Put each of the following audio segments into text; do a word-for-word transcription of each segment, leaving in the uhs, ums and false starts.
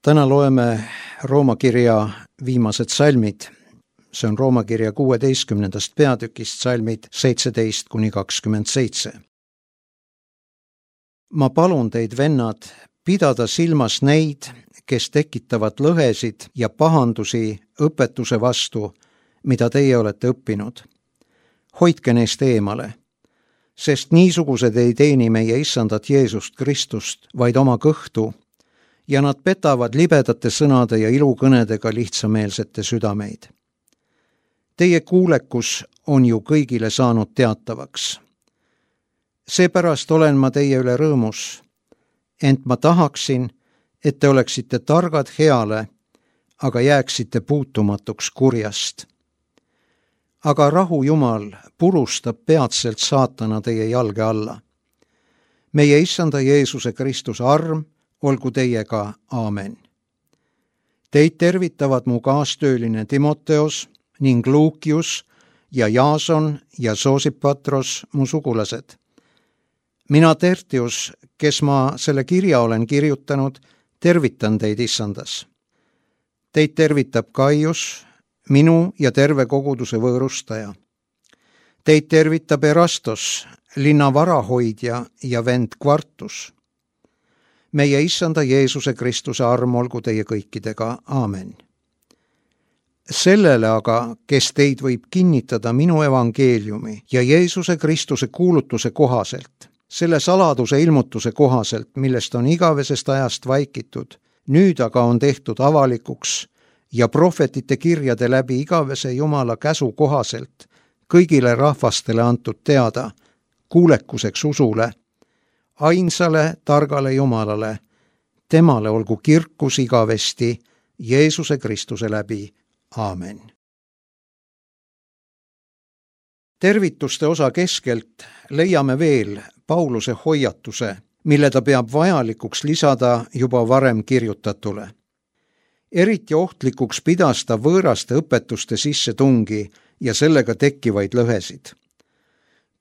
Täna loeme Rooma kirja viimased salmid. See on Rooma kirja kuueteistkümnendast peatükist salmid seitseteist kuni kakskümmend seitse. Ma palun teid, vennad, pidada silmas neid, kes tekitavad lõhesid ja pahandusi õpetuse vastu, mida teie olete õppinud. Hoidke neist eemale, sest niisugused ei teeni meie issandat Jeesust Kristust, vaid oma kõhtu, ja nad petavad libedate sõnade ja ilukõnedega lihtsameelsete südameid. Teie kuulekus on ju kõigile saanud teatavaks. Seepärast olen ma teie üle rõõmus, ent ma tahaksin, et te oleksite targad heale, aga jääksite puutumatuks kurjast. Aga rahu Jumal purustab peatselt saatana teie jalge alla. Meie issanda Jeesuse Kristuse arm olgu teiega, aamen. Teid tervitavad mu kaastööline Timoteos ning Luukius ja Jaason ja Soosipatros, mu sugulased. Mina Tertius, kes ma selle kirja olen kirjutanud, tervitan teid issandas. Teid tervitab Kaius, minu ja terve koguduse võõrustaja. Teid tervitab Erastos, linna varahoidja ja vend Kvartus. Meie issanda Jeesuse Kristuse arm olgu teie kõikidega, aamen. Sellele aga, kes teid võib kinnitada minu evangeeliumi ja Jeesuse Kristuse kuulutuse kohaselt, selle saladuse ilmutuse kohaselt, millest on igavesest ajast vaikitud, nüüd aga on tehtud avalikuks ja prohvetite kirjade läbi igavese Jumala käsu kohaselt kõigile rahvastele antud teada, kuulekuseks usule, ainsale targale Jumalale, temale olgu kirkus igavesti Jeesuse Kristuse läbi. Aamen. Tervituste osa keskelt leiame veel Pauluse hoiatuse, mille ta peab vajalikuks lisada juba varem kirjutatule. Eriti ohtlikuks pidas ta võõraste õpetuste sisse tungi ja sellega tekkivaid lõhesid.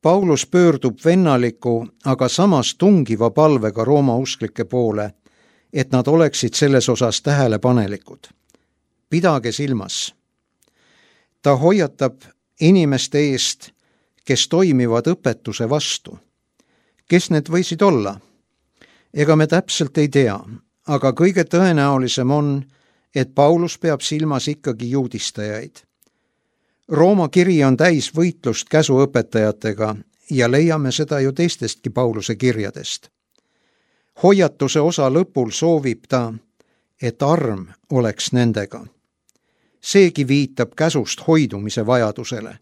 Paulus pöördub vennaliku, aga samas tungiva palvega Rooma usklike poole, et nad oleksid selles osas tähelepanelikud. Pidage silmas. Ta hoiatab inimeste eest, kes toimivad õpetuse vastu. Kes need võisid olla? Ega me täpselt ei tea, aga kõige tõenäolisem on, et Paulus peab silmas ikkagi juudistajaid. Rooma kiri on täis võitlust käsuõpetajatega ja leiame seda ju teistestki Pauluse kirjadest. Hoiatuse osa lõpul soovib ta, et arm oleks nendega. Seegi viitab käsust hoidumise vajadusele.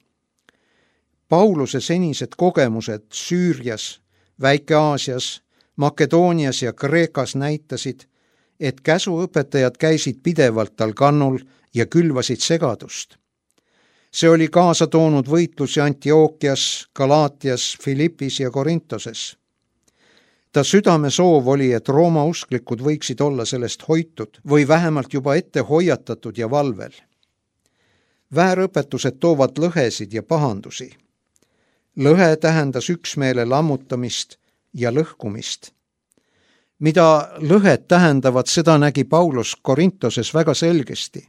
Pauluse senised kogemused Süürias, Väike-Aasias, Makedoonias ja Kreekas näitasid, et käsuõpetajad käisid pidevalt tal kannul ja külvasid segadust. See oli kaasa toonud võitlusi Antiookias, Galaatias, Filippis ja Korintoses. Ta südame soov oli, et Rooma usklikud võiksid olla sellest hoitud või vähemalt juba ette hoiatatud ja valvel. Väärõpetused toovad lõhesid ja pahandusi. Lõhe tähendas üksmeele lammutamist ja lõhkumist. Mida lõhed tähendavad, seda nägi Paulus Korintoses väga selgesti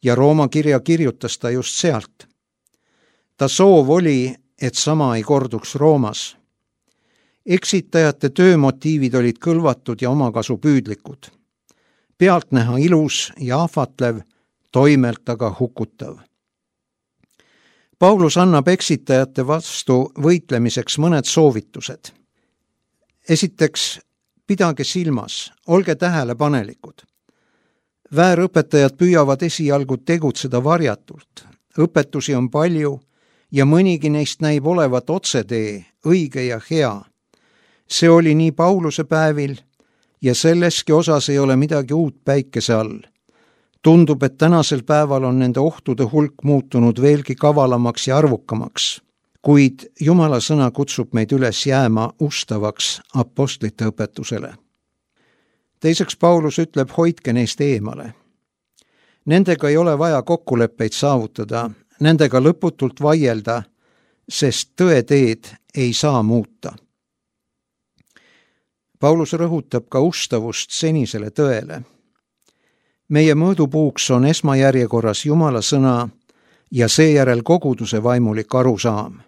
ja Rooma kirja kirjutas ta just sealt. Ta soov oli, et sama ei korduks Roomas. Eksitajate töömotiivid olid kõlvatud ja omakasu püüdlikud. Pealtnäha ilus ja ahvatlev, toimelt aga hukutav. Paulus annab eksitajate vastu võitlemiseks mõned soovitused. Esiteks, pidage silmas, olge tähelepanelikud. Väärõpetajad püüavad esialgu tegutseda varjatult. Õpetusi on palju ja mõnigi neist näib olevat otsetee, õige ja hea. See oli nii Pauluse päevil ja selleski osas ei ole midagi uut päikese all. Tundub, et tänasel päeval on nende ohtude hulk muutunud veelgi kavalamaks ja arvukamaks, kuid Jumala sõna kutsub meid üles jääma ustavaks apostlite õpetusele. Teiseks Paulus ütleb, hoidke neist eemale. Nendega ei ole vaja kokkuleppeid saavutada, nendega lõputult vaielda, sest tõeteed ei saa muuta. Paulus rõhutab ka ustavust senisele tõele. meie mõõdupuuks on esmajärjekorras Jumala sõna ja seejärel koguduse vaimulik arusaam.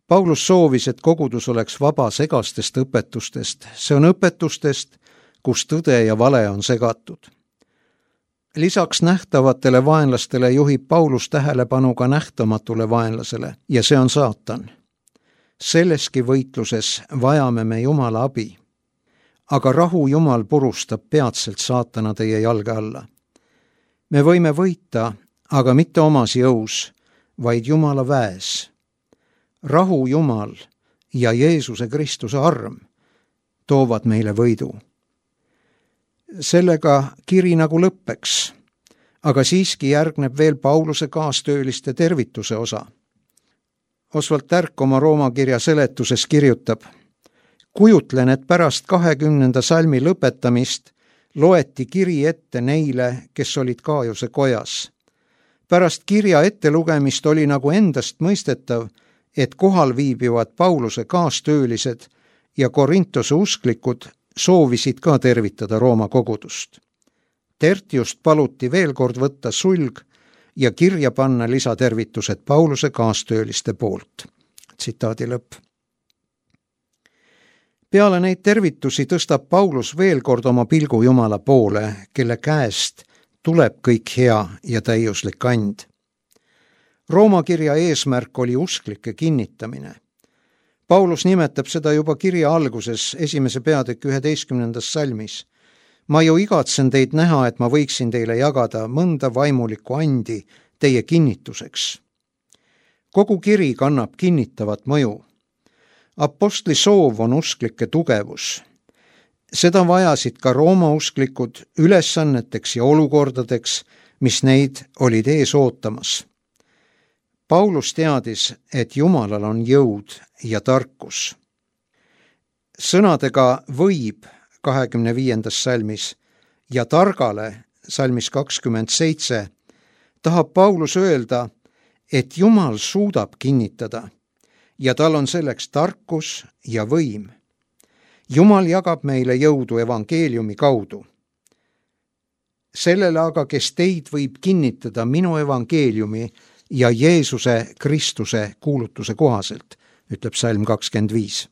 Paulus soovis, et kogudus oleks vaba segastest õpetustest, see on õpetustest, kus tõde ja vale on segatud. Lisaks nähtavatele vaenlastele juhib Paulus tähelepanu ka nähtamatule vaenlasele ja see on saatan. Selleski võitluses vajame me Jumala abi. Aga rahu Jumal purustab peatselt saatana teie jalge alla. Me võime võita, aga mitte omas jõus, vaid Jumala väes. Rahu Jumal ja Jeesuse Kristuse arm toovad meile võidu. Sellega kiri nagu lõppeks, aga siiski järgneb veel Pauluse kaastööliste tervituse osa. Oswald Tärk oma Rooma kirja seletuses kirjutab: kujutlen, et pärast kahekümnenda salmi lõpetamist loeti kiri ette neile, kes olid Gaaiuse kojas. Pärast kirja ettelugemist oli nagu endast mõistetav, et kohal viibivad Pauluse kaastöölised ja Korintose usklikud soovisid ka tervitada Rooma kogudust. Tertiust paluti veel kord võtta sulg ja kirja panna lisatervitused Pauluse kaastööliste poolt. Tsitaadi lõpp. Peale neid tervitusi tõstab Paulus veel kord oma pilgu Jumala poole, kelle käest tuleb kõik hea ja täiuslik and. Rooma kirja eesmärk oli usklike kinnitamine. Paulus nimetab seda juba kirja alguses esimese peatüki üheteistkümnendas salmis. Ma ju igatsen teid näha, et ma võiksin teile jagada mõnda vaimulikku andi teie kinnituseks. Kogu kiri kannab kinnitavat mõju. Apostli soov on usklike tugevus. Seda vajasid ka Rooma usklikud ülesanneteks ja olukordadeks, mis neid olid ees ootamas. Paulus teadis, et Jumalal on jõud ja tarkus. Sõnadega võib kahekümne viiendas salmis ja targale salmis kakskümmend seitse tahab Paulus öelda, et Jumal suudab kinnitada ja tal on selleks tarkus ja võim. Jumal jagab meile jõudu evangeeliumi kaudu. Sellele aga, kes teid võib kinnitada minu evangeeliumi ja Jeesuse Kristuse kuulutuse kohaselt, ütleb salm kakskümmend viis.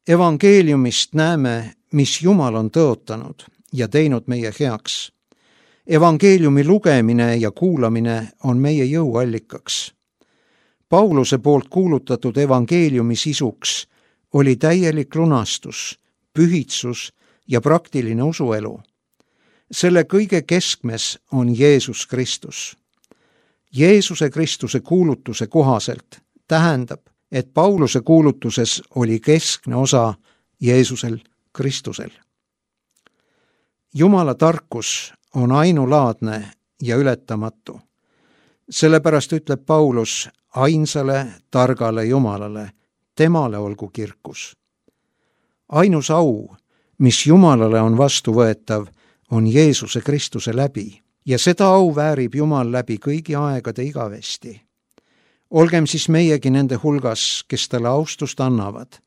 Evangeeliumist näeme, mis Jumal on tõotanud ja teinud meie heaks. Evangeeliumi lugemine ja kuulamine on meie jõuallikaks. Pauluse poolt kuulutatud evangeeliumi sisuks oli täielik lunastus, pühitsus ja praktiline usuelu. Selle kõige keskmes on Jeesus Kristus. Jeesuse Kristuse kuulutuse kohaselt tähendab, et Pauluse kuulutuses oli keskne osa Jeesusel Kristusel. Jumala tarkus on ainulaadne ja ületamatu. Sellepärast ütleb Paulus ainsale targale Jumalale, temale olgu kirkus. Ainus au, mis Jumalale on vastuvõetav, on Jeesuse Kristuse läbi ja seda au väärib Jumal läbi kõigi aegade igavesti. Olgem siis meiegi nende hulgas, kes talle austust annavad,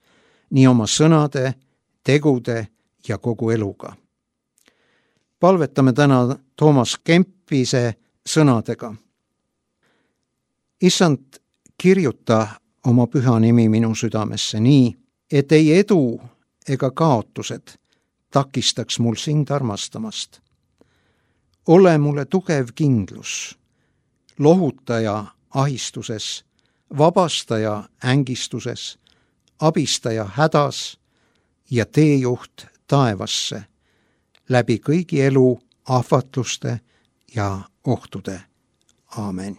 nii oma sõnade, tegude ja kogu eluga. Palvetame täna Toomas Kempise sõnadega. Issand, kirjuta oma püha nimi minu südamesse nii, et ei edu ega kaotused takistaks mul sind armastamast. Ole mulle tugev kindlus, lohutaja ahistuses, vabastaja ängistuses, abistaja hädas ja teejuht taevasse, läbi kõigi elu ahvatluste ja ohtude. Aamen.